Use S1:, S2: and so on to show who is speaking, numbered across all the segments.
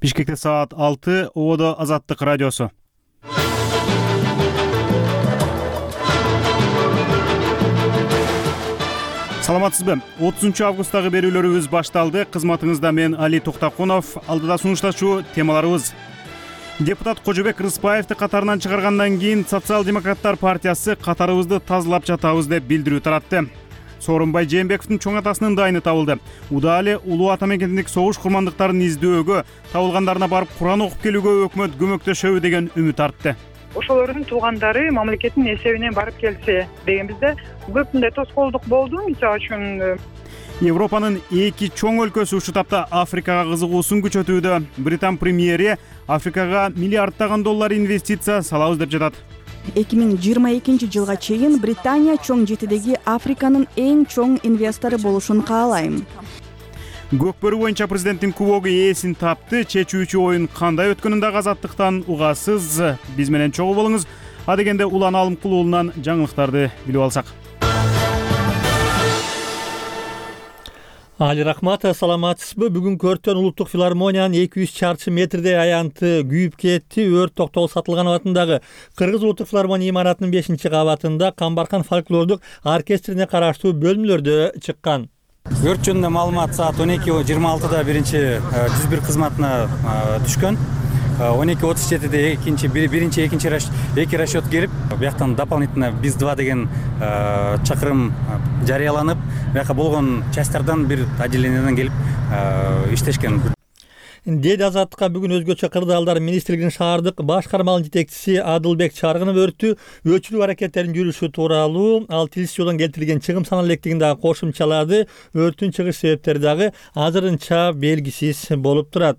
S1: Бишкекте саат 6, Ободо Азаттык радиосу. Саламатсызбы? 30 августтагы берүүлөрүбүз башталды. Кызматыңызда мен Али Токтакунов, алдыда сунуштачуу темаларыбыз. Депутат Кожобек Рыспаевди катарынан чыгаргандан кийин Социал-демократтар партиясы катарыбызды тазалап жатабыз деп билдирүү таратты. Сооронбай Жээнбековдун чоң атасынын дайыны табылды. Удаалы улуу ата мекендик согуш курмандыктарын издөөгө, табылгандарына барып Куран окуп келүүгө өкмөт көмөктөшөбү деген үмүт артты.
S2: Ошолордун туугандары мамлекеттин эсебинен барып келсе деген бизде көп мындай тоскоолдук болду. Мисалы үчүн
S1: Европанын эки чоң өлкөсү ушул тапта Африкага кызыгуусун күчөтүүдө. Британ премьери Африкага миллиарддаган доллар инвестиция салабыз деп жатат.
S3: 2022 жылга чейин Британия чоң жетидеги Африканын эң чоң инвестору болушун каалайм.
S1: Көкбөрү боюнча президенттин кубогу ээсин тапты. Чечүүчү оюн кандай өткөнүн дагы Азаттыктан угасыз. Биз менен чогуу болуңуз. Адегенде Улан Алымкул уулунан жаңылыктарды билип алсак.
S4: Али рахмат, саламатсызбы? Бүгүн Көртөн улуттук филармониянын 200 чарчы метрдей аянты күйүп кетти. Өрт токтогул Сатылганов атындагы Кыргыз улуттук филармония имаратынын 5-кабатында Камбаркан фольклордук оркестрине караштуу бөлмөлөрдө чыккан.
S5: Өрт жөнүндө маалымат саат 12:26 жүз бир кызматына түшкөн. 12:37 эки расчет келип, бияктан дополнительно БИС-2 деген чакырым жарыяланып, бияка болгон частардан бир отделениядан келип иштешкен.
S4: Деди Азаттыкка бүгүн өзгөчө кырдаалдар министрлигинин шаардык башкармалык жетекчиси Адылбек Чаргынов өчүрүү аракеттеринин жүрүшү тууралуу ал тилсиз жолдон келтирилген чыгым саны электигин дагы кошумчалады. Өрттүн чыгыш себептери дагы азырынча белгисиз болуп турат.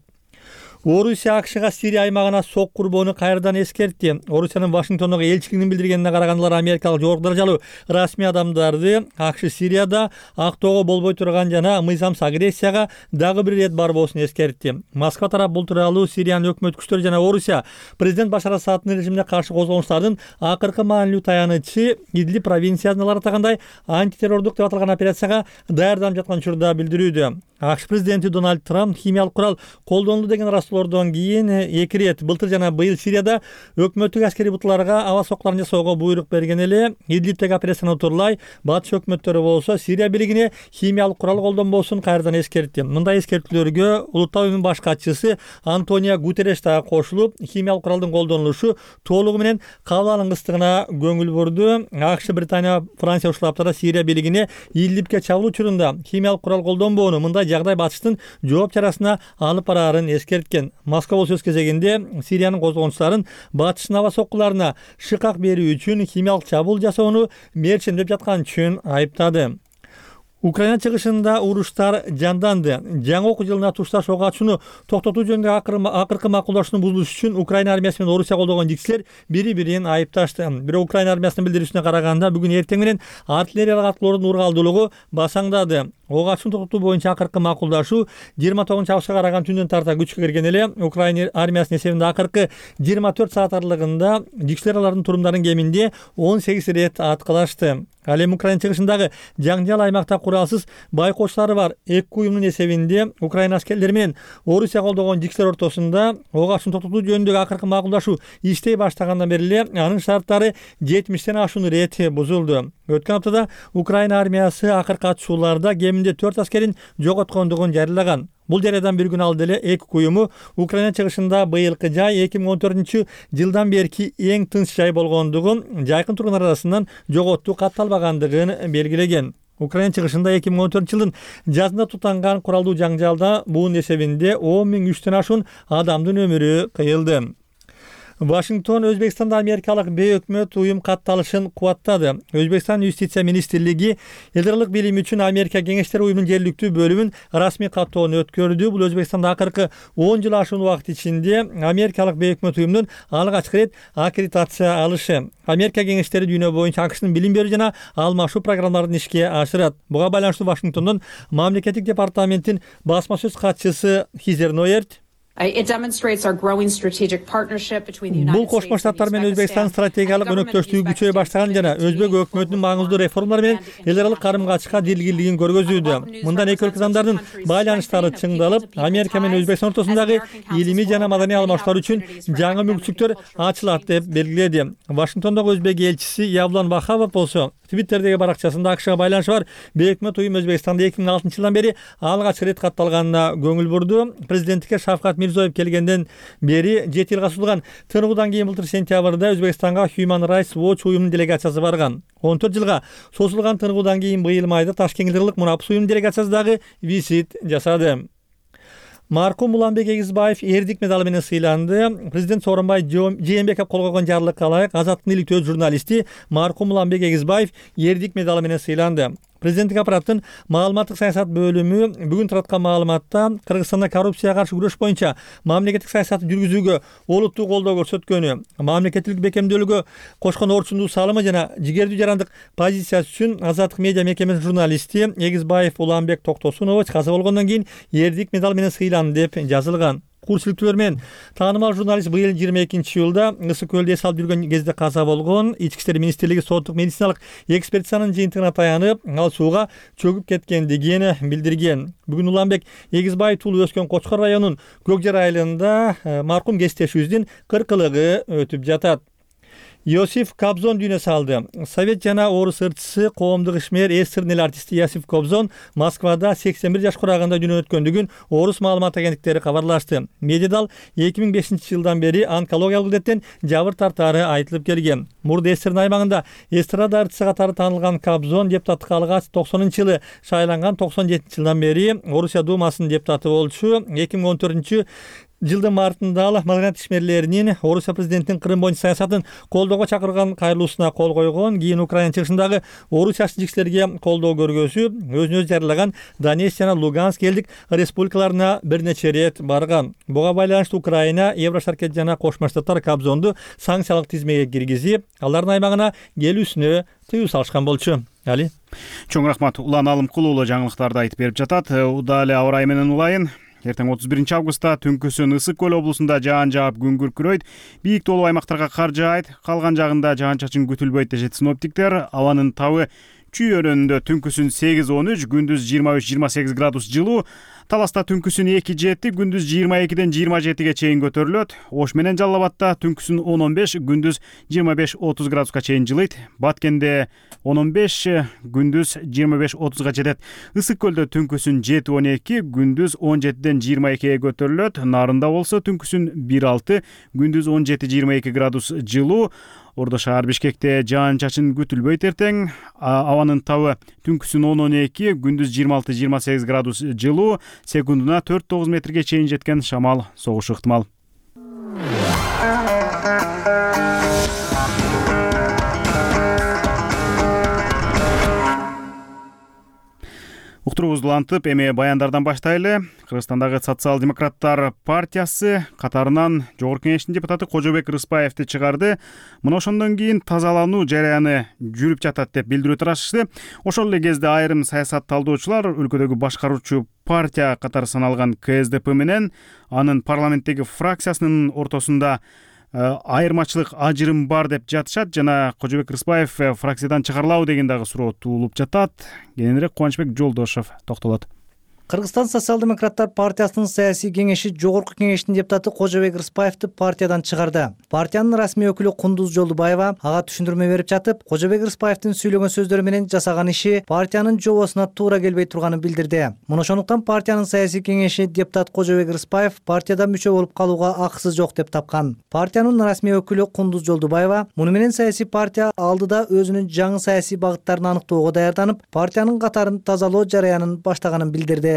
S4: Орусия АКШга Сирия аймагына сок курбоону кайрадан эскертти. Орусиянын Вашингтондогу элчилигинин билдиргенине караганда америкалык жогорку даражалуу расмий адамдарды АКШ Сирияда актоого болбой турган жана мыйзамсыз агрессияга дагы бир ирет барбоосун эскертти. Москва тарап бул тууралуу Сириянын өкмөт күчтөрү жана Орусия президент Башар Асаддын режимине каршы козголуштардын акыркы маанилүү таянычы Идлиб провинциясында атагандай антитеррордук деп аталган операцияга даярданып жаткан учурда билдирүүдө. АКШ президенти Дональд Трамп химиялык курал колдонулду деген растлордон кийин 2 рет былтыр жана быйыл Сирияда өкмөттүк аскерий бутуларга аба сокларын жасоого буйрук берген эле. Идлибтеги операцияны утурлай батыш өкмөттөрү болсо Сирия бийлигине химиялык курал колдонбоосун кайрадан эскертти. Мындай эскертүүлөргө Улуттуу уюмдун баш катчысы Антонио Гутерреш дагы кошулуп, химиялык куралдын колдонулушу толугу менен кабыл алынгыстыгына көңүл бурду. АКШ, Британия, Франция ушул аптада Сирия бийлигине Идлибке чабуул учурунда химиялык курал колдонбоону мындай жагдай батыштын жооп чарасына алып бараарын эскерткен. Москва өз кезегинде Сириянын козгончуларын батыштын аба соккуларына шыкак берүү үчүн химиялык чабуул жасоону мерчемдеп жаткан үчүн айыптады. Украина чыгышында уруштар жанданды. Жаңы окуу жылына тушташ ок ачууну токтотуу жөнүндө акыркы макулдашууну бузулуш үчүн Украина армиясы менен Орусия колдогон жигчилер бири-бирин айыпташты. Бирок Украина армиясынын билдирүүсүнө караганда бүгүн эртең менен артиллериялык аткылоодун ургалдуулугу басаңдады. Ок ачууну токтотуу боюнча акыркы макулдашуу 29-августка караган түндөн тарта күчкө кирген эле. Украина армиясынын эсебинде акыркы 24 саат аралыгында жигчилер алардын турумдарын кеминде 18 рет аткылашты. Ал эми Украина чыгышындагы жаңжал аймакта куралсыз байкоочулары бар эки уюмдун эсебинде Украина аскерлери менен Орусия колдогон жигчилер ортосунда ок ачууну токтотуу жөнүндөгү акыркы макулдашуу иштей баштагандан бери эле анын шарттары 70тен ашуун рет бузулду. Өткөн аптада Украина армиясы акыркы атышууларда кеминде 4 аскерин жоготкондугун жарыялаган. Бул жарыядан бир күн алды эле эки уюму Украина чыгышында быйылкы жай 2014 жылдан берки эң тынч жай болгондугун, жайкын тургундар арасынан жоготуу катталбагандыгын белгилеген. Украина чыгышында 2014 жылдын жазында тутанган куралдуу жаңжалда буунун эсебинде 10.000 ашуун адамдын өмүрү кыйылды. Вашингтон Өзбекстанда америкалык бейөкмөт уюм катталышын кубаттады. Өзбекстан юстиция министрлиги элдарлык билим үчүн Америка кеңештер уюмунун жергиликтүү бөлүмүн расмий каттоону өткөрдү. Бул Өзбекстанда акыркы 10 жыл ашуун убакыт ичинде америкалык бейөкмөт уюмдун алгачкы рет аккредитация алышы. Америка кеңештери дүйнө боюнча АКШнын билим берүү жана алмашуу программаларын ишке ашырат. Буга байланыштуу Вашингтондон мамлекеттик департаменттин басма сөз катчысы Хизер Нойерт Бул Кошмо Штаттар менен Өзбекстандын стратегиялык өнөктөштүгү күчөй баштаган жана Өзбек өкмөтүнүн маңыздуу реформалар менен эл аралык карым-качыкка дилгирлигин көргөзүүдө. Мындан эки өлкө адамдардын байланыштары чыңдалып, Америка менен Өзбекстан ортосундагы илимий жана маданий алмаштар үчүн жаңы мүмкүнчүлүктөр ачылат деп белгиледи. Вашингтондогу Өзбек элчиси Явлан Вахабов болсо Твиттердеги баракчасында АКШга байланышы бар бейөкмөт уюм Өзбекстанда 2006 жылдан бери алгач рет катталганына көңүл бурду. Президенттикке Шавкат Мирзиёев келгенден бери 7 жылга созулган тыныгуудан кийин былтыр сентябрда Өзбекстанга Human Rights Watch уюмунун делегациясы барган. 14 жылга созулган тыныгуудан кийин быйыл майда Ташкенттик Мунапс уюмунун делегациясы дагы визит жасады. Маркум Уланбек Эгизбаев эрдик медалы менен сыйланды. Президент Сооронбай Жээнбеков кол койгон жарлыкка ылайык азаттыктын иликтөө журналисти Маркум Уланбек Эгизбаев эрдик медалы менен сыйланды. Президенттик аппараттын маалыматтык саясат бөлүмү бүгүн тараткан маалыматта Кыргызстанда коррупцияга каршы күрөш боюнча мамлекеттик саясатты жүргүзүүгө олуттуу колдоо көрсөткөнү, мамлекеттик бекемдөөлүгө кошкон орчундуу салымы жана жигердүү жарандык позициясы үчүн Азаттык медиа мекемесинин журналисти Эгизбаев Уланбек Токтосунович каза болгондон кийин эрдик медал менен сыйланды деп жазылган. Курчиликтүүлөр менен таанымал журналист быйыл 22-июлда Ысык көлдө эс алып жүргөн кезде каза болгон. Ички иштер министрлиги соттук медициналык экспертизанын жыйынтыгына таянып, ал сууга чөгүп кеткендигин билдирген. Бүгүн Уланбек Эгизбаев туулуп өскөн Кочкор районунун Көкжар айылында маркум кесиптешибиздин 40-ылыгы өтүп жатат. Иосиф Кобзон дүйнө салды. Совет жана орус ырчысы, коомдук ишмер, эстрадный артисти Иосиф Кобзон Москвада 81 жаш курагында дүйнө өткөндүгүн орус маалымат агенттиктери кабарлашты. Медиадал 2005 жылдан бери онкологиялык илдеттен жабыр тартаары айтылып келген. Мурда эстердин аймагында эстрада артисти катары таанылган Кобзон депутаттыкка алгач 90-жылы шайланган, 97 жылдан бери Орусия Думасынын депутаты болчу. 2014 жылдын мартында ал маданият ишмерлеринин Орусия президентинин Крым боюнча саясатын колдоого чакырган кайрылуусуна кол койгон. Кийин Украина чыгышындагы орус жашынчылыктарга колдоо көргөзүп, өзүн өзү жарыялаган Донецк жана Луганск элдик республикаларына бир нече рет барган. Буга байланыштуу Украина, Еврошаркет жана Кошмо Штаттар Кобзонду санкциялык тизмеге киргизип, алардын аймагына келүүсүнө тыюу салышкан болчу. Али.
S1: Чоң рахмат. Улан Алымкул уулу жаңылыктарды айтып берип жатат. Удаа эле аба ырайы менен улайын. Эртең 31 августта түнкүсүн Ысык көл облусунда жаан жаап күн күркүрөйт. Бийик тоолуу аймактарга кар жаайт. Калган жагында жаан-чачын күтүлбөйт дешет синоптиктер. Абанын табы Чүй өрөөнүндө түнкүсүн 8-13, күндүз 23-28 градус жылуу. Таласта түнкүсүн 2-7, күндүз 22-ден 27-ге чейин көтөрүлөт. Ош менен Жалал Абадта түнкүсүн 10-15, күндүз 25-30 градуска чейин жылыйт. Баткенде 10-15, күндүз 25-30га жетет. Ысык көлдө түнкүсүн 7-12, күндүз 17-ден 22-ге көтөрүлөт. Нарында болсо түнкүсүн 1-6, күндүз 17-22 градус жылуу. Ордо шаар Бишкекте жаан-чачын күтүлбөйт эртең. Абанын табы түнкүсүн 10-12, күндүз 26-28 градус жылуу. Секундуна 4-9 метрге чейин жеткен шамал согушу ыктымал. Уктуруубузду улантып, эми баяндардан баштайлы. Кыргызстандагы Социал-демократтар партиясы катарынан Жогорку Кеңештин депутаты Кожобек Рыспаевди чыгарды. Мына ошондон кийин тазалануу жараяны жүрүп жатат деп билдирүү тарашышты. Ошол эле кезде айрым саясат талдоочулар өлкөдөгү башкаруучу партия катары саналган КСДП менен анын парламенттеги фракциясынын ортосунда айырмачылык, ажырым бар деп жатышат жана Кожобек Рыспаев фракциядан чыгарылабы деген дагы суроо туулуп жатат. Кененирээк Кубанычбек Жолдошов токтолот.
S6: Кыргызстан Социал-демократтар партиясынын саясий кеңеши Жогорку Кеңештин депутаты Кожобек Рыспаевди партиядан чыгарды. Партиянын расмий өкүлү Кундуз Жолдубаева ага түшүндүрмө берип жатып, Кожобек Рыспаевдин сүйлөгөн сөздөрү менен жасаган иши партиянын жобосуна туура келбей турганын билдирди. Мына ошондуктан партиянын саясий кеңеши депутат Кожобек Рыспаев партияда мүчө болуп калууга акысы жок деп тапкан. Партиянын расмий өкүлү Кундуз Жолдубаева муну менен саясий партия алдыда өзүнүн жаңы саясий багыттарын аныктоого даярданып, партиянын катарын тазалоо жараянын баштаганын билдирди.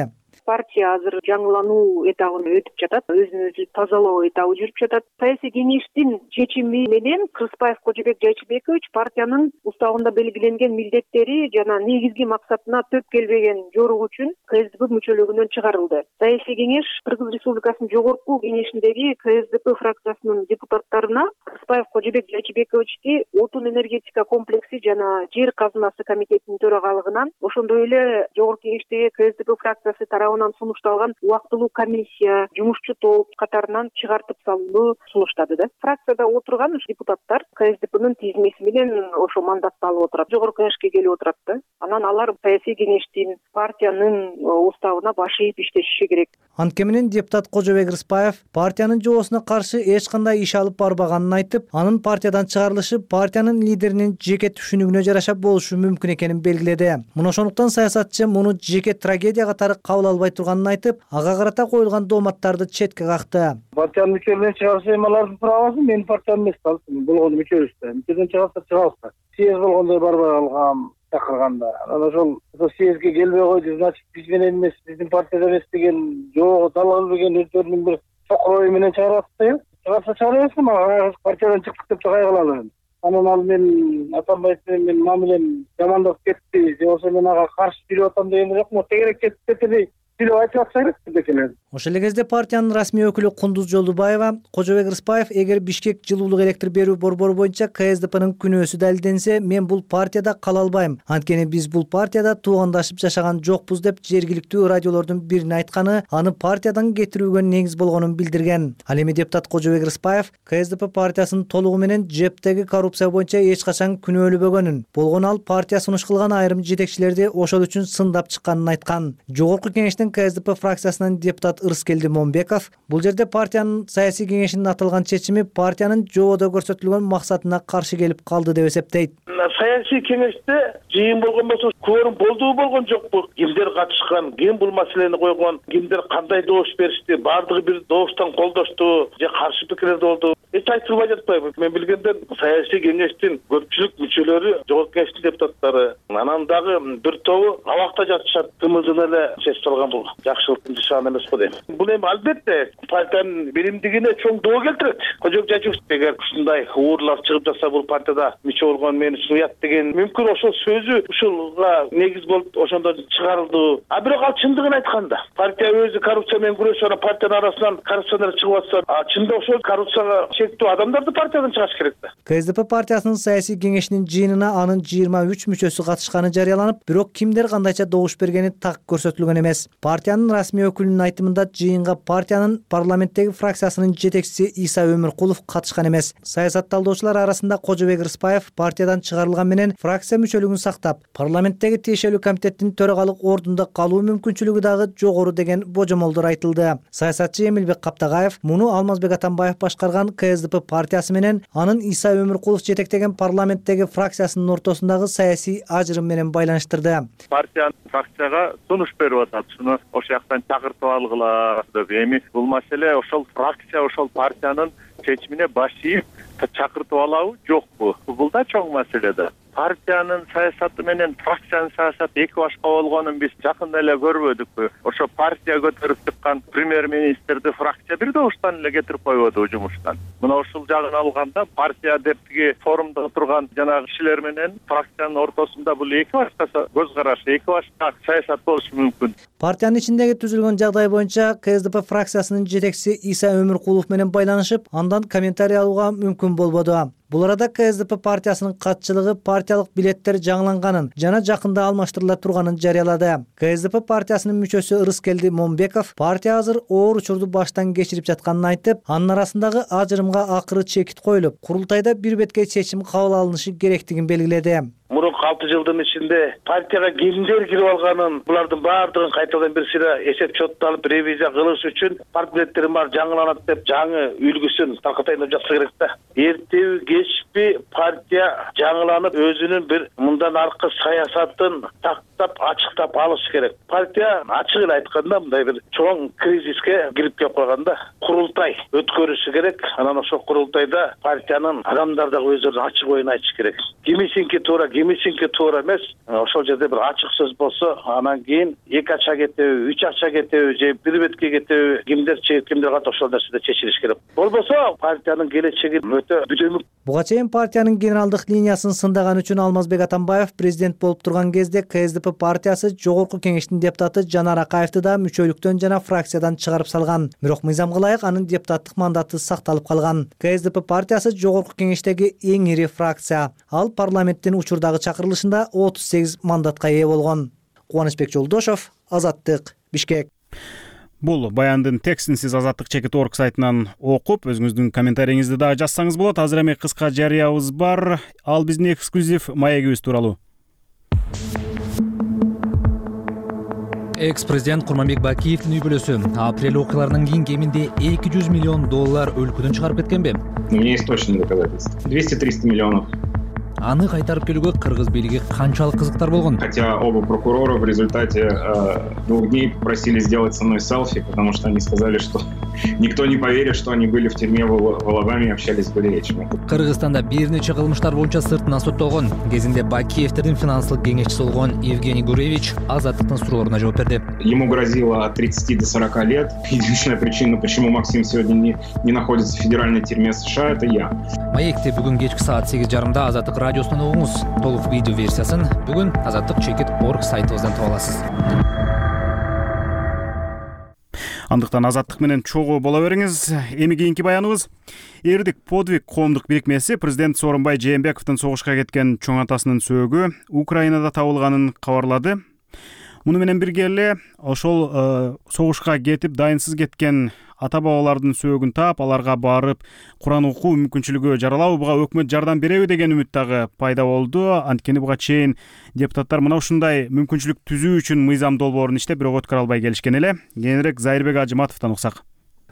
S7: Партия азыр жаңылануу этабына өтүп жатат, өзүн өзү тазалоо этабы жүрүп жатат. Саясий кеңештин чечими менен Рыспаев Кожобек Жайчыбекович партиянын уставында белгиленген милдеттери жана негизги максатына төп келбеген жоругу үчүн КСДП мүчөлүгүнөн чыгарылды. Саясий кеңеш Кыргыз Республикасынын Жогорку Кеңешиндеги КСДП фракциясынын депутаттарына Рыспаев Кожобек Жайчыбековичти отун энергетика комплекси жана жер казынасы комитетинин төрагалыгынан, ошондой эле Жогорку Кеңештеги КСДП фракциясы тарабынан тарабынан сунушталган убактылуу комиссия, жумушчу топ катарынан чыгартып салууну сунуштады да. Фракцияда отурган депутаттар КСДПнын тизмеси менен ошо мандатты алып отурат, жогорку кеңешке келип отурат да. Анан алар саясий кеңештин, партиянын уставына баш ийип иштешиши керек.
S6: Анткени депутат Кожобек Рыспаев партиянын жоосуна каршы эч кандай иш алып барбаганын айтып, анын партиядан чыгарылышы партиянын лидеринин жеке түшүнүгүнө жараша болушу мүмкүн экенин белгиледи. Мына ошондуктан саясатчы муну жеке трагедия катары кабыл албай турганын айтып, ага карата коюлган дооматтарды четке какты.
S8: Партиянын мүчөлөрүнөн чыгарса эми алардын правасы, менин партиям эмес да. Болгону мүчөбүз да. Мүчөдөн чыгарса чыгабызда. Съезд болгондо барбай калгам. Чакырганда анан ошол съездге келбей койду, значит биз менен эмес, биздин партияда эмес деген жогу далгал берген өздөрүнүн бир чокор ою менен чыгарып атты. Чыгарса чыгара берсин, мага партиядан чыктык деп кайгыланам. Анан ал мен Атамбаев менен мамилем жамандап кетти, же болбосо мен ага каршы жүрүп атам деген жокмун. Тегерек кетти сүйлөп айтып атса керек дегенен.
S6: Ошол эле кезде партиянын расмий өкүлү Кундуз Жолдубаева Кожобек Рыспаев эгер Бишкек жылуулук электр берүү борбору боюнча КСДПнын күнөөсү далилденсе, мен бул партияда кала албайм. Анткени биз бул партияда туугандашып жашаган жокпуз деп жергиликтүү радиолордун бирине айтканы аны партиядан кетирүүгө негиз болгонун билдирген. Ал эми депутат Кожобек Рыспаев КСДП партиясынын толугу менен жептеги коррупция боюнча эч качан күнөөлөбөгөнүн, болгону ал партия сунуш кылган айрым жетекчилерди ошол үчүн сындап чыкканын айткан. Жогорку кеңештин КСДП фракциясынын депутат Ырыскелди Момбеков бул жерде партиянын саясий кеңешинин аталган чечими партиянын жободо көрсөтүлгөн максатына каршы келип калды деп эсептейт.
S9: Саясий кеңеште жыйын болгон болсо кворум болдубу болгон жокпу, кимдер катышкан, ким бул маселени койгон, кимдер кандай добуш беришти, баардыгы бир добуштан колдошту же каршы пикирлер болду, эч айтылбай жатпайбы. Мен билгенден саясий кеңештин көпчүлүк мүчөлөрү жогорку кеңештин депутаттары, анан дагы бир тобу абакта жатышат, тымылдын эле чечип салган бул жакшылыктын нышаны эмес го дейм. Бул эми албетте партиянын биримдигине чоң доо келтирет. Кожобек Жачуев эгер ушундай уурлар чыгып жатса, бул партияда мүчө болгон мени уят деген мүмкүн ошол сөзү ушулга негиз болуп ошондо чыгарылды. А бирок ал чындыгын айтканда, партия өзү коррупция менен күрөшөт, партиянын арасынан коррупционер чыгып атса, чында ошол коррупцияга шектүү адамдарды партиядан чыгарыш керек да.
S6: КСДП партиясынын саясий кеңешинин жыйынына анын 23 мүчөсү катышканы жарыяланып, бирок кимдер кандайча добуш бергени так көрсөтүлгөн эмес. Партиянын расмий өкүлүнүн айтымында жыйынга партиянын парламенттеги фракциясынын жетекчиси Иса Өмүркулов катышкан эмес. Саясат талдоочулар арасында Кожобек Рыспаев партиядан чыгарылган менен фракция мүчөлүгүн сактап, парламенттеги тиешелүү комитеттин төрагалык ордунда калуу мүмкүнчүлүгү дагы жогору деген божомолдор айтылды. Саясатчы Эмилбек Каптагаев муну Алмазбек Атамбаев башкарган КСДП партиясы менен анын Иса Өмүркулов жетектеген парламенттеги фракциясынын ортосундагы саясий ажырым менен байланыштырды.
S10: Партиянын фракцияга сунуш берип атат, шуну ошол жактан чакыртып алгыла деп. Эми бул маселе ошол фракция, ошол партиянын чечимине баш ийип чакыртып алабы, жокпу? Бул да чоң маселе да. Партиянын саясаты менен фракциянын саясаты эки башка болгонун биз жакында эле көрбөдүкпү? Ошо партия көтөрүп чыккан премьер-министрди фракция бир добуштан эле кетирип койбоду жумуштан. Мына ушул жагын алганда партия деп тиги форумда отурган жанагы кишилер менен фракциянын ортосунда бул эки башка көз караш, эки башка саясат болушу мүмкүн.
S6: Партиянын ичиндеги түзүлгөн жагдай боюнча КСДП фракциясынын жетекчиси Иса Өмүркулов менен байланышып, андан комментарий алууга мүмкүн болбоду. Бул арада КСДП партиясынын катчылыгы партиялык билеттер жаңыланганын жана жакында алмаштырыла турганын жарыялады. КСДП партиясынын мүчөсү Ырыскелди Момбеков партия азыр оор учурду баштан кечирип жатканын айтып, анын арасындагы ажырымга акыры чекит коюлуп, курултайда бир бетке чечим кабыл алынышы керектигин белгиледи.
S9: Мурунку 6 жылдын ичинде партияга кимдер кирип алганын, булардын баардыгын кайтадан бир сыйра эсеп чотто алып ревизия кылыш үчүн партиялердин баары жаңыланат деп жаңы үлгүсүн таркатайын деп жатса керек да. Эртеби кечпи партия жаңыланып өзүнүн бир мындан аркы саясатын тактап ачыктап алыш керек. Партия ачык эле айтканда мындай бир чоң кризиске кирип келип калганда курултай өткөрүшү керек. Анан ошол курултайда партиянын адамдары дагы өздөрүнүн ачык оюн айтышы керек. Кимисинки туура, кимисинки туура эмес. Ошол жерде бир ачык сөз болсо, анан кийин 2 ача кетеби, 3 ача кетеби же бир бетке кетеби, кимдер чегип, кимдер кат ошол нерседе чечилиш керек. Болбосо партиянын келечеги өтө бүдөмүк.
S6: Буга чейин партиянын генералдык линиясын сындаган үчүн Алмазбек Атамбаев президент болуп турган кезде КСДП партиясы жогорку кеңештин депутаты Жанар Акаевди да мүчөлүктөн жана фракциядан чыгарып салган. Бирок мыйзамга ылайык анын депутаттык мандаты сакталып калган. КСДП партиясы жогорку кеңештеги эң ири фракция. Ал парламенттин учурдагы чакырылышында 38 мандатка ээ болгон. Кубанычбек Жолдошов, Азаттык, Бишкек.
S1: Бул баяндын текстин сиз Азаттык.org сайтынан окуп, өзүңүздүн комментарийиңизди дагы жазсаңыз болот. Азыр эми кыска жарыябыз бар. Ал биздин эксклюзив маегибиз тууралуу.
S11: Экс-президент Курманбек Бакиевдин үй бүлөсү апрель окуяларынан кийин кеминде $200 миллион өлкөдөн чыгарып кеткенби?
S12: У меня есть точные доказательства. 200-300 миллионов.
S11: Аны кайтарып келүүгө кыргыз бийлиги канчалык кызыктар болгон?
S12: Хотя оба прокурора в результате 2 дней попросили сделать со мной селфи, потому что они сказали, что никто не поверит, что они были в тюрьме в Алабаме и общались с Гулевичем.
S11: Кыргызстанда бир нече кылмыштар боюнча сыртынан соттолгон. Кезинде Бакиевдин финансылык кеңешчиси болгон Евгений Гуревич Азаттыктын суроолоруна жооп берди.
S12: Ему грозило от 30 до 40 лет. Единственная причина, почему Максим сегодня не находится в федеральной тюрьме США, это я.
S11: Маекти бүгүн кечки саат 8:30 Азаттык радиосунан угуңуз. Толук видео версиясын бүгүн Азаттык.org сайтыбыздан таба аласыз.
S1: Андыктан Азаттык менен чогуу боло бериңиз. Эми кийинки баяныбыз. Эрдик подвиг коомдук бирикмеси президент Сооронбай Жээнбековдун согушка кеткен чоң атасынын сөөгү Украинада табылганын кабарлады. Муну менен бирге эле ошол согушка кетип дайынсыз кеткен ата-бабалардын сөөгүн таап, аларга барып Куран окуу мүмкүнчүлүгү жаралабы, буга өкмөт жардам береби деген үмүт дагы пайда болду. Анткени буга чейин депутаттар мына ушундай мүмкүнчүлүк түзүү үчүн мыйзам долбоорун иштеп, бирок өткөрө албай келишкен эле. Кийинирээк Зайырбек Ажыматовдон уксак.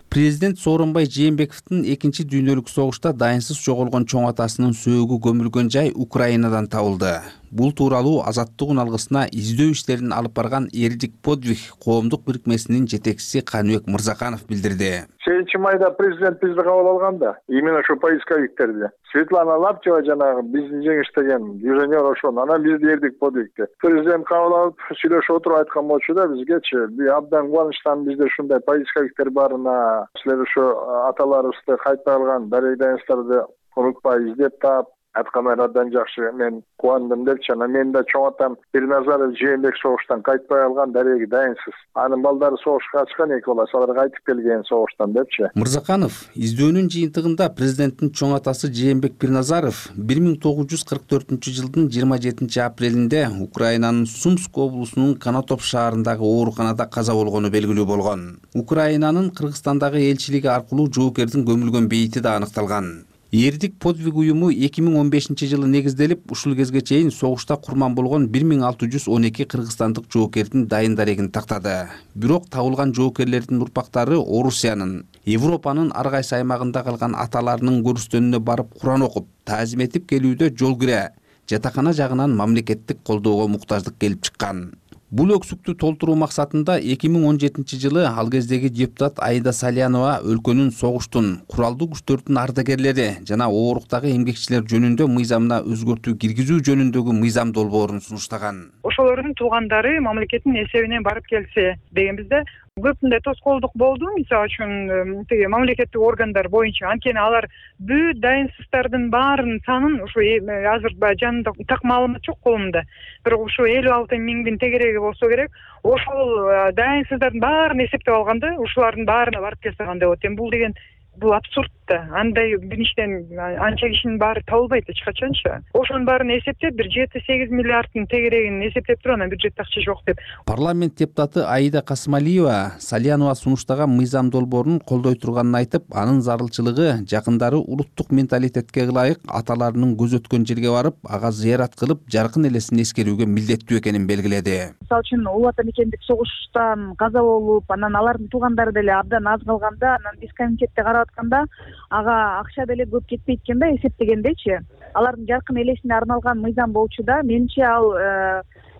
S13: Президент Сооронбай Жээнбековдун 2-дүйнөлүк согушта дайынсыз жоголгон чоң атасынын сөөгү көмүлгөн жай Украинадан табылды. Бул тууралуу Азаттык алгысына издөө иштерин алып барган Эрдик подвиг коомдук бирикмесинин жетекчиси Каныбек Мырзаканов билдирди.
S8: 7-майда президент бизди кабыл алганда, именно ошо поисковиктерди. Светлана Лаптева жанагы биздин жеңиштеген юженер ошон, анан бизди Эрдик подвигти. Президент кабыл алып, сүйлөшүп отуруп айткан болчу да бизгечи, абдан кубанычтан бизде ушундай поисковиктер барына, силер ошо аталарыбызды кайтпай алган дарыйдаңыздарды унутпай издеп таап аткандар абдан жакшы. Мен кубандым депчи. Анан мен да чоң атам Бирназаров Жээнбек согуштан кайтпай алган, дареги дайынсыз. Анын балдары согушка качкан эки бала, алар кайтып келген согуштан депчи.
S13: Мырзаканов издөөнүн жыйынтыгында президенттин чоң атасы Жээнбек Бирназаров 1944-жылдын 27 апрелинде Украинанын Сумск облусунун Канатоп шаарындагы ооруканада каза болгону белгилүү болгон. Украинанын Кыргызстандагы элчилиги аркылуу жоокердин көмүлгөн бейити да аныкталган. Эрдик подвиг уюму 2015-жылы негизделип, ушул кезге чейин согушта курман болгон 1612 кыргызстандык жоокердин дайын дарегин тактады. Бирок табылган жоокерлердин урпактары Орусиянын, Европанын ар кайсы аймагында калган аталарынын көрүстөнүнө барып Куран окуп, таазим этип келүүдө жол кире, жатакана жагынан мамлекеттик колдоого муктаждык келип чыккан. Бул өксүктү толтуруу максатында 2017-жылы ал кездеги депутат Аида Салянова өлкөнүн согуштун, куралдуу күчтөрдүн ардагерлери жана ооруктагы эмгекчилер жөнүндө мыйзамына өзгөртүү киргизүү жөнүндөгү мыйзам долбоорун сунуштаган.
S2: Ошолордун туугандары мамлекеттин эсебинен барып келсе дегенбизде көпүндөй тоскоолдук болду. Мисалы үчүн тиги мамлекеттик органдар боюнча, анткени алар бүт дайынсыздардын баарынын санын ушу азыр жанында так маалымат жок колумда. Бирок ушу 56 миңдин тегереги болсо керек. Ошол дайынсыздардын баарын эсептеп алганда, ушулардын баарына барып келсе кандай болот? Бул деген бул абсурд да. Андай бириштен анча кишинин баары табылбайт эч качанчы. Ошонун баарын эсептеп, бир 7-8 миллиарддын тегерегин эсептеп туруп, анан бюджетте акча жок деп.
S13: Парламент депутаты Аида Касымалиева Салянова сунуштаган мыйзам долбоорун колдой турганын айтып, анын зарылчылыгы жакындары улуттук менталитетке ылайык аталарынын көз өткөн жерге барып, ага зыярат кылып, жаркын элесин эскерүүгө милдеттүү экенин белгиледи.
S14: Мисалы үчүн улуу ата мекендик согуштан каза болуп, анан алардын туугандары деле абдан аз калганда, анан биз комитетте карап атканда ага акча деле көп кетпейт экен да, эсептегендечи. Алардын жаркын элесине арналган мыйзам болчу да. Менимче ал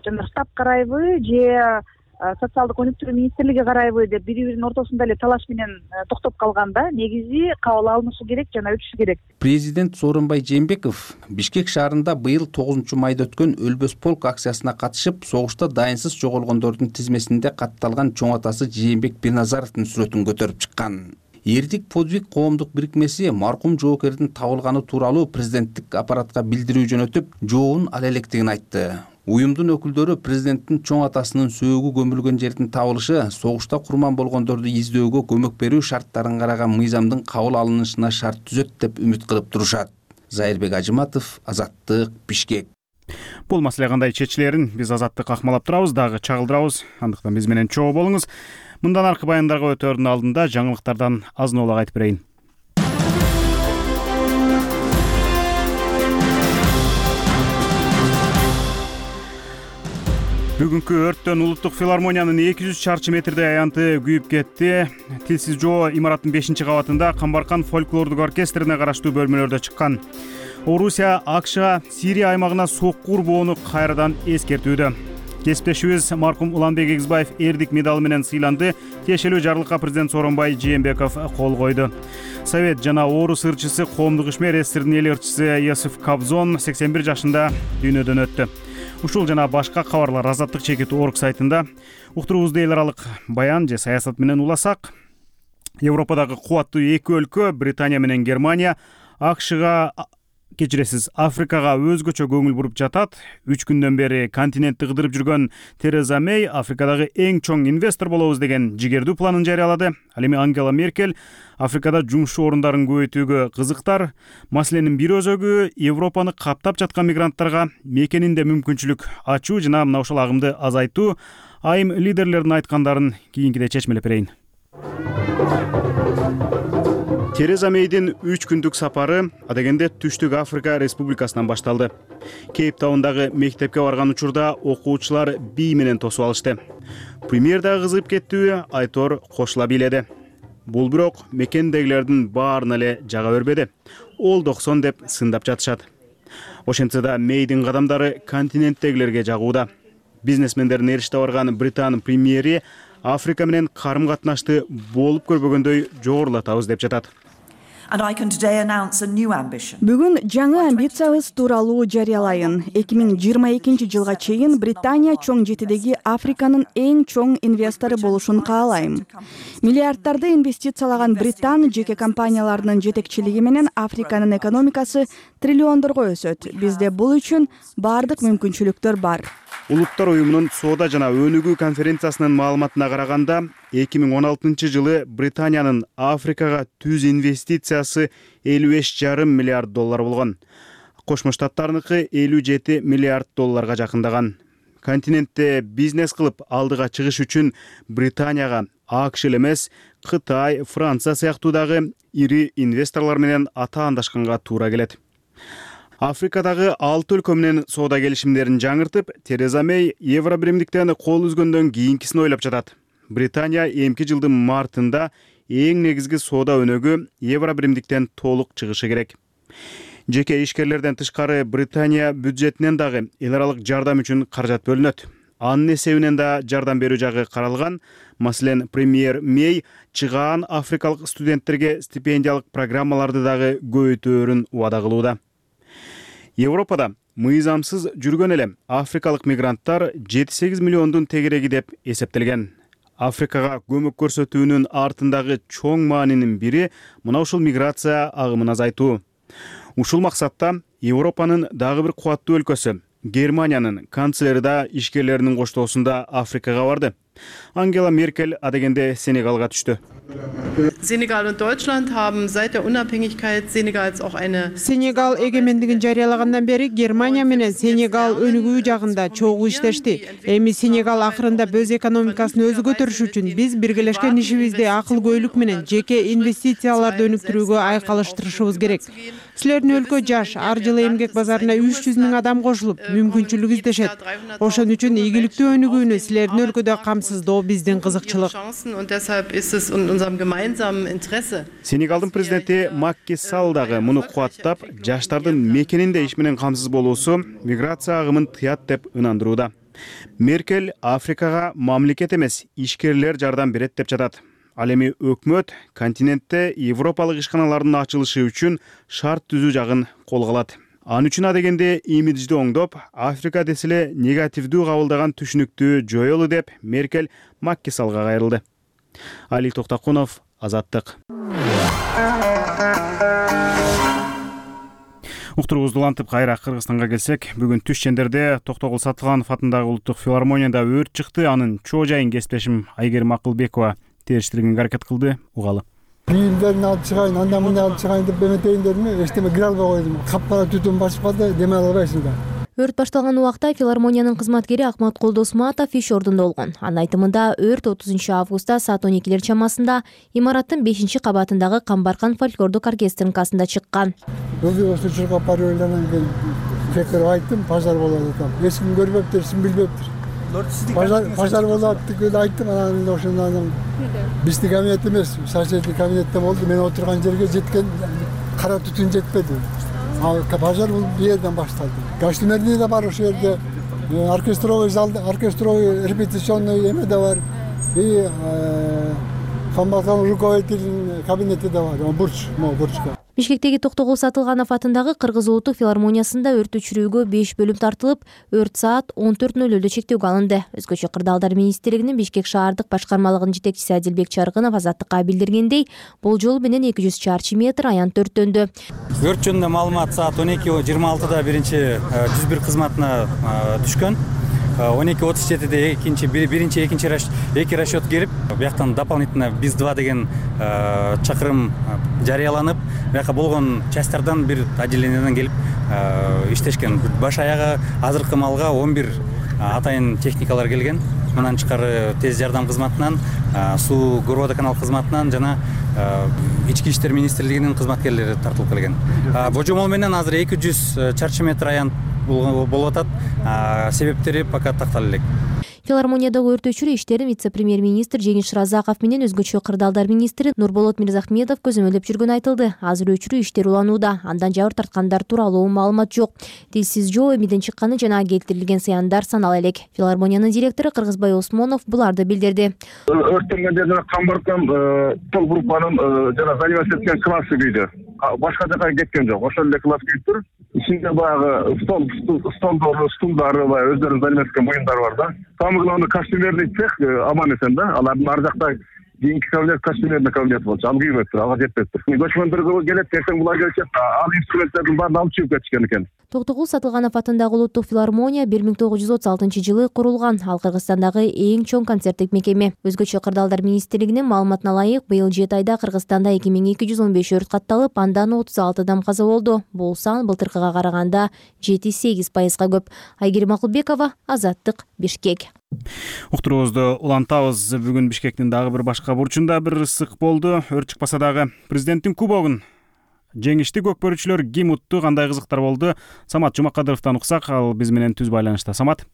S14: жана штаб карайбы же социалдык өнүктүрүү министрлиги карайбы деп бири-биринин ортосунда эле талаш менен токтоп калганда, негизи кабыл алынышы керек жана өтүшү керек.
S13: Президент Сооронбай Жээнбеков Бишкек шаарында быйыл 9-майда өткөн Өлбөс полк акциясына катышып, согушта дайынсыз жоголгондордун тизмесинде катталган чоң атасы Жээнбек Бирназаровдун сүрөтүн көтөрүп чыккан. Эрдик подвиг коомдук бирикмеси маркум жоокердин табылганы тууралуу президенттик аппаратка билдирүү жөнөтүп, жообун ала электигин айтты. Уюмдун өкүлдөрү президенттин чоң атасынын сөөгү көмүлгөн жердин табылышы согушта курман болгондорду издөөгө көмөк берүү шарттарын караган мыйзамдын кабыл алынышына шарт түзөт деп үмүт кылып турушат. Зайырбек Ажыматов, Азаттык, Бишкек.
S1: Бул маселе кандай чечилерин биз Азаттык акмалап турабыз, дагы чагылдырабыз. Андыктан биз менен чогуу болуңуз. Мындан аркы баяндарга өтөөрдүн алдында жаңылыктардан азын-аулак айтып берейин. Бүгүнкү өрттөн Улуттук филармониянын 200 чарчы метрдей аянты күйүп кетти. Тилсиз жоо имараттын 5-кабатында Камбаркан фольклордук оркестрине караштуу бөлмөлөрдө чыккан. Орусия АКШга Сирия аймагына сокку урбоону кайрадан эскертүүдө. Кесиптешибиз маркум Уланбек Эгизбаев эрдик медалы менен сыйланды. Тиешелүү жарлыкка президент Сооронбай Жээнбеков кол койду. Совет жана Орус ырчысы, коомдук ишмер СССРдин эл ырчысы Йосиф Кобзон 81 жашында дүйнөдөн өттү. Ушул жана башка кабарлар Азаттык чекит орг сайтында. Уктуруубузду эл аралык баян же саясат менен уласак, Европадагы кубаттуу эки өлкө Британия менен Германия АКШга Африкага өзгөчө көңүл буруп жатат. 3 күндөн бери континентти кыдырып жүргөн Тереза Мэй Африкадагы эң чоң инвестор болобуз деген жигердүү планын жарыялады. Ал эми Ангела Меркель Африкада жумуш орундарын көбөйтүүгө кызыктар. Маселенин бир өзөгү Европаны каптап жаткан мигранттарга мекенинде мүмкүнчүлүк ачуу жана мына ушул агымды азайтуу. Айым лидерлердин айткандарын кийинкиде чечмелеп берейин. Тереза Мэйдин 3 күндүк сапары адегенде Түштүк Африка Республикасынан башталды. Кейптаундагы мектепке барган учурда окуучулар бий менен тосуп алышты. Премьер дагы кызыгып кеттүү, Айтор кошула бийледи. Бул бирок мекендегилердин баарына эле жага бербеди. Ол 90 деп сындап жатышат. Ошентсе да Мэйдин кадамдары континенттегилерге жагууда. Бизнесмендердин эриште барган Британ премьери Африка менен карым-катнашты болуп көрбөгөндөй жогорулатабыз деп жатат.
S3: Бүгүн жаңы амбициябыз тууралуу жарыялайын. 2022 жылга чейин Британия чоң жетидеги Африканын эң чоң инвестору болушун каалайм. Миллиарддарды инвестициялаган Британ жеке компанияларынын жетекчилиги менен Африканын экономикасы триллиондорго өсөт. Бизде бул үчүн бардык мүмкүнчүлүктөр бар.
S1: Улуттар уюмунун соода жана өнүгүү конференциясынын маалыматына караганда, 2016 жылы Британиянын Африкага түз инвестициясы 55,5 миллиард доллар болгон. Кошмо Штаттарыныкы 57 миллиард долларга жакындаган. Континентте бизнес кылып алдыга чыгыш үчүн Британияга АКШ эмес, Кытай, Франция сыяктуу дагы ири инвесторлор менен атаандашканга туура келет. Африкадагы 6 өлкө менен соода келишимдерин жаңыртып, Тереза Мэй евро биримдиктен кол үзгөндөн кийинкисин ойлоп жатат. Британия эмки жылдын мартында эң негизги соода өнөгү евро биримдиктен толук чыгышы керек. Жеке ишкерлерден тышкары Британия бюджетинен дагы эл аралык жардам үчүн каражат бөлүнөт. Анын эсебинен да жардам берүү жагы каралган. Маселен, премьер Мэй чыгаан африкалык студенттерге стипендиялык программаларды дагы көбөйтөөрүн убада кылууда. Европада мыйзамсыз жүргөн эле африкалык мигранттар 7-8 миллиондун тегереги деп эсептелген. Африкага көмөк көрсөтүүнүн артындагы чоң маанинин бири мына ушул миграция агымын азайтуу. Ушул максатта Европанын дагы бир кубаттуу өлкөсү Германиянын канцлери да ишкерлеринин коштоосунда Африкага барды. Ангела Меркель адегенде Сенегалга түштү.
S15: Senegal und Deutschland haben seit der Unabhängigkeit Senegals auch eine
S16: Сенегал эгемендигин жарыялагандан бери Германия менен Сенегал өнүгүү жагында чогуу иштешти. Эми Сенегал акырында өз экономикасын өзү көтөрүш үчүн биз биргелешкен ишибизди акылгөйлүк менен жеке инвестицияларды өнүктүрүүгө айкалыштырышыбыз керек. Силердин өлкө жаш, ар жылы эмгек базарына 300 000 адам кошулуп, мүмкүнчүлүк издешет. Ошон үчүн ийгиликтүү өнүгүүнү силердин өлкөдө камсыздоо биздин кызыкчылык.
S1: Сенегалдын президенти Макки Салл дагы муну кубаттап, жаштардын мекенинде иш менен камсыз болуусу миграция агымын тыят деп ынандырууда. Меркель Африкага мамлекет эмес, ишкерлер жардам берет деп жатат. Ал эми өкмөт континентте европалык ишканалардын ачылышы үчүн шарт түзүү жагын колго алат. Ан үчүн адегенде имиджди оңдоп, Африка деселе негативдүү кабылдаган түшүнүктү жоёлу деп Меркель Макки Саллга кайрылды. Али Токтакунов, Азаттык. Уктуруубузду улантып кайра Кыргызстанга келсек, бүгүн түш чендерде Токтогул Сатылганов атындагы Улуттук филармонияда өрт чыкты. Анын чоо жайын кесиптешим Айгерим Акылбекова териштирүүгө аракет кылды. Угалы.
S17: Бийимдерин алып чыгайын, андан мындан алып чыгайын деп эметейин дедим, эчтеме кире албай койдум. Капкара түтүн басып калды, деме албайсың да.
S18: Өрт башталган убакта филармониянын кызматкери Акмат Колдосматов иш ордунда болгон. Анын айтымында өрт 30 августта саат 12 чамасында имараттын 5-кабатындагы Камбаркан фольклордук оркестринкасында чыккан.
S17: Учурга пароланан кийин кекер айттым, пожар болот атам. Эч ким көрбөптүр, эч ким билбептир. Пожар болот деп айттым, анан ошондон биздин кабинет эмес, соседний кабинетте болду. Мен отурган жерге жеткен кара түтүн жетпеди. Пожар бул жерден башталды. Гостиница да бар ошол жерде, оркестровый зал, оркестровый репетиционный эме да бар. И Камбаркан руководитель кабинети да бар, бурчка.
S18: Бишкектеги Токтогул Сатылганов атындагы Кыргыз улуттук филармониясында өрт өчүрүүгө 5 бөлүм тартылып, өрт саат 14:00 чектөөгө алынды. Өзгөчө кырдаалдар министрлигинин Бишкек шаардык башкармалыгынын жетекчиси Адилбек Чаргынов Азаттыкка билдиргендей, болжол менен 200 чарчы метр аянт өрттөндү.
S5: Өрт жөнүндө маалымат саат 12:26 биринчи 101 кызматына түшкөн. 12:37 эки расчет келип, бияктан дополнительно БИС-2 деген чакырым жарыяланып, бияка болгон частьтардан бир отделенияден келип иштешкен. Баш аягы азыркы маалга 11 атайын техникалар келген. Мындан тышкары тез жардам кызматынан, суу горводоканал кызматынан жана Ички иштер министрлигинин кызматкерлери тартылып келген. Божомол менен азыр 200 чарчы метр аянт болуп атат. Себептери пока тактала элек.
S18: Филармониядагы өрт өчүрүү иштерин вице-премьер-министр Жеңиш Разаков менен өзгөчө кырдаалдар министри Нурболот Мирзахмедов көзөмөлдөп жүргөнү айтылды. Азыр өчүрүү иштери уланууда. Андан жабыр тарткандар тууралуу маалымат жок. Тилсиз жоо эмиден чыкканы жана келтирилген зыяндар санала элек. Филармониянын директору Кыргызбай Осмонов буларды билдирди.
S19: Өрттөнгөндө жана Камбаркан тол группанын жана заниматься эткен классы күйдү. Башка жака кеткен жок. Ошол эле класс күйүптүр. Ичинде баягы стулдары, өздөрүнүн заниматься эткен буюмдар бар да. Самый главный костюмерный цех аман эсен да. Алардын ар жакта кийинки кабинет костюмерный кабинет болчу. Ал күйбөптүр, ага жетпептир. Көчмөндөр келет, эртең булар келишет, ал инструменттердин баарын алып чыгып кетишкен экен.
S18: Токтогул Сатылганов атындагы улуттук филармония 1936 курулган. Ал Кыргызстандагы эң чоң концерттик мекеме. Өзгөчө кырдаалдар министрлигинин маалыматына ылайык, быйыл 7 айда Кыргызстанда 2215 өрт катталып, андан 36 адам каза болду. Бул сан былтыркыга караганда 7-8% көп. Айгерим Акылбекова, Азаттык, Бишкек.
S1: Уктуруубузду улантабыз. Бүгүн Бишкектин дагы бир башка бурчунда бир ысык болду. Өрт чыкпаса дагы президенттин кубогун жеңишти көкбөрүүчүлөр ким утту, кандай кызыктар болду? Самат Жумакадыровдон уксак, ал биз менен түз байланышта. Самат.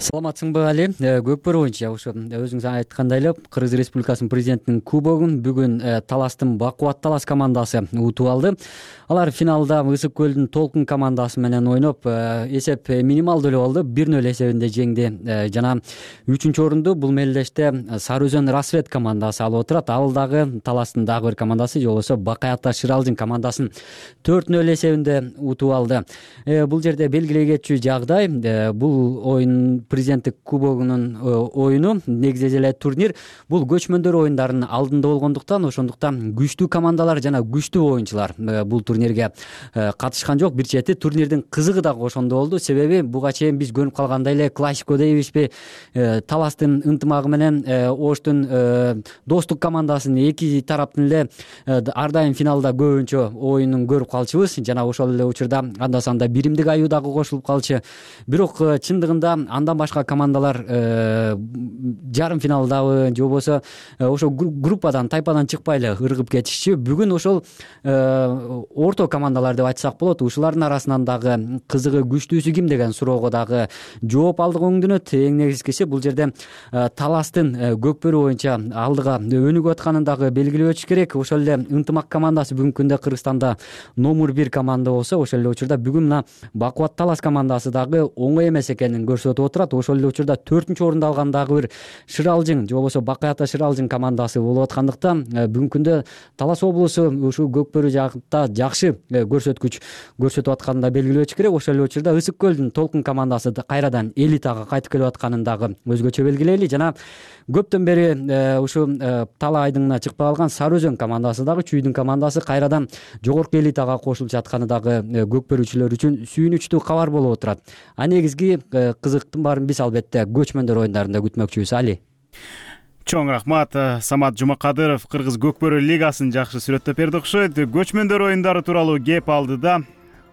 S20: Саламатсыңбы, Али? Көкбөрүү боюнча ошо өзүңүз айткандай эле Кыргыз Республикасынын президентинин кубогун бүгүн Таластын Бакубат Талас командасы утуп алды. Алар финалда Ысык көлдүн Толкун командасы менен ойноп, эсеп минималдуу эле болду. 1-0 эсебинде жеңди. Жана 3-орунду бул мелдеште Сары Өзөн Рассвет командасы алып отурат. Ал дагы Таластын дагы бир командасы, же болбосо Бакаята Шыралжын командасын 4-0 эсебинде утуп алды. Бул жерде белгилей кетчү жагдай, бул оюн президенттик кубогунун оюну, негизи эле турнир бул көчмөндөр оюндарынын алдында болгондуктан, ошондуктан күчтүү командалар жана күчтүү оюнчулар бул турнирге катышкан жок. Бир чети турнирдин кызыгы дагы ошондо болду. Себеби буга чейин биз көрүп калгандай эле классико дейбизби, Таластын ынтымагы менен Оштун достук командасынын эки тараптын эле ар дайым финалда көбүнчө оюнун көрүп калчубуз. Жана ошол эле учурда анда-санда биримдик аю дагы кошулуп калчу. Бирок чындыгында андан башка командалар жарым финалдабы, же болбосо ошо группадан, тайпадан чыкпай эле ыргып кетишчү. Бүгүн ошол орто командалар деп айтсак болот. Ушулардын арасынан дагы кызыгы, күчтүүсү ким деген суроого дагы жооп алдык өңдөнөт. Эң негизгиси бул жерде Таластын көкбөрүү боюнча алдыга өнүгүп атканын дагы белгилеп өтүш керек. Ошол эле ынтымак командасы бүгүнкү күндө Кыргызстанда номер 1 команда болсо, ошол эле учурда бүгүн мына Бакубат Талас командасы дагы оңой эмес экенин көрсөтүп отурат. Ошол эле учурда 4-орунду алган дагы бир Шыралжың, же болбосо Бакаята Шыралжың командасы болуп аткандыктан бүгүнкү күндө Талас облусу ушул көкбөрүү жакта жакшы көрсөткүч көрсөтүп атканын да белгилеп өтүш керек. Ошол эле учурда Ысык көлдүн Толкун командасы кайрадан элитага кайтып келип атканын дагы өзгөчө белгилейли. Жана көптөн бери ушу Тала айдыңына чыкпай калган Сары Өзөн командасы дагы, Чүйдүн командасы кайрадан жогорку элитага кошулуп жатканы дагы көкбөрүүчүлөр үчүн сүйүнүчтүү кабар болуп отурат. А негизги кызыктын баарын биз албетте көчмөндөр оюндарында күтмөкчүбүз, Али.
S1: Чоң рахмат. Самат Жумакадыров Кыргыз көкбөрү лигасын жакшы сүрөттөп берди окшойт. Көчмөндөр оюндары тууралуу кеп алдыда.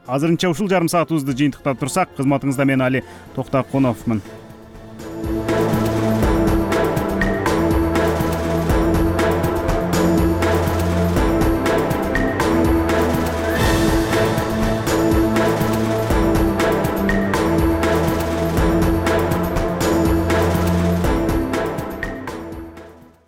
S1: Азырынча ушул жарым саатыбызды жыйынтыктап турсак, кызматыңызда мен Али Токтокуновмун.